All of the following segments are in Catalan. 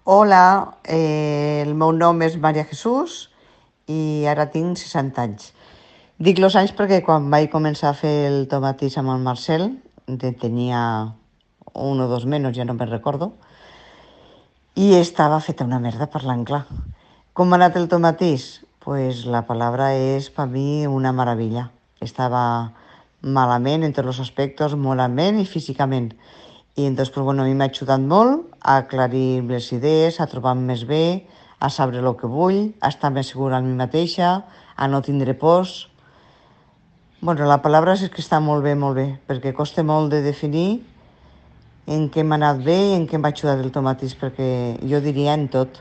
Hola, el meu nom és Maria Jesús i ara tinc 60 anys. Dic los anys perquè quan vaig començar a fer el tomatís amb el Marcel, tenia un o dos menys, ja no me'n recordo, i estava feta una merda parlant clar. Com ha anat el tomatís? Pues la palabra és per mi una meravella. Estava malament en tots els aspectes, moralment i físicament. I entonces, pues, bueno, a mi m'ha ajudat molt a aclarir les idees, a trobar-me més bé, a saber el que vull, a estar més segura en mi mateixa, a no tindre pors. Bueno, la paraula és que està molt bé, perquè costa molt de definir en què m'ha anat bé i en què m'ha ajudat el tomatís, perquè jo diria en tot.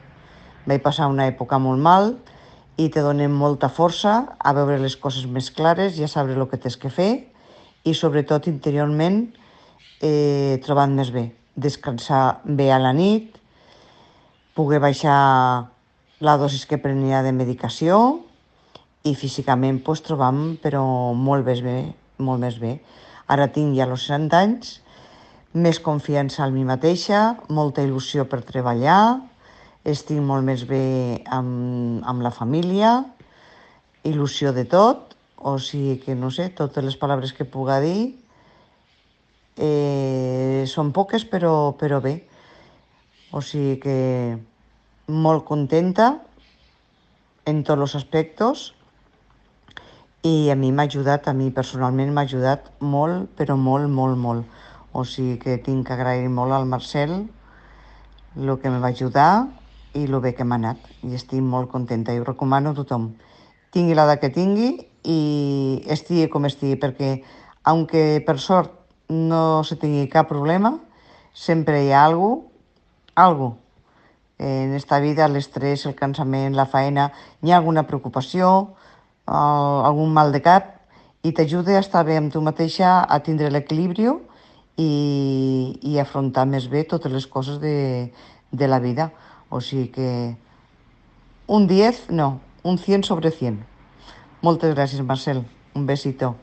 Vaig passar una època molt mal i te donen molta força a veure les coses més clares i a saber el que tens que fer i sobretot interiorment trobant més bé, descansar bé a la nit, poder baixar la dosis que prenia de medicació i físicament pues, trobam però molt més bé, molt més bé. Ara tinc ja els 60 anys, més confiança en mi mateixa, molta il·lusió per treballar, estic molt més bé amb la família, il·lusió de tot, o sigui que no sé, totes les paraules que puga dir són poques però bé. O sigui que molt contenta en tots els aspectes i a mi m'ha ajudat, a mi personalment m'ha ajudat molt, però molt. O sigui que tinc que agrair molt al Marcel el que em va ajudar i el bé que m'ha anat. I estic molt contenta i ho recomano a tothom. Tingui l'edat que tingui i estigui com estigui, perquè aunque per sort no se tingui cap problema, sempre hi ha algo. En esta vida l'estrès, el cansament, la feina, hi ha alguna preocupació, algun mal de cap, i t'ajuda a estar bé amb tu mateixa, a tindre l'equilibri i afrontar més bé totes les coses de la vida. O sigui que un 10, no, un 100 sobre 100. Moltes gràcies, Marcel. Un besito.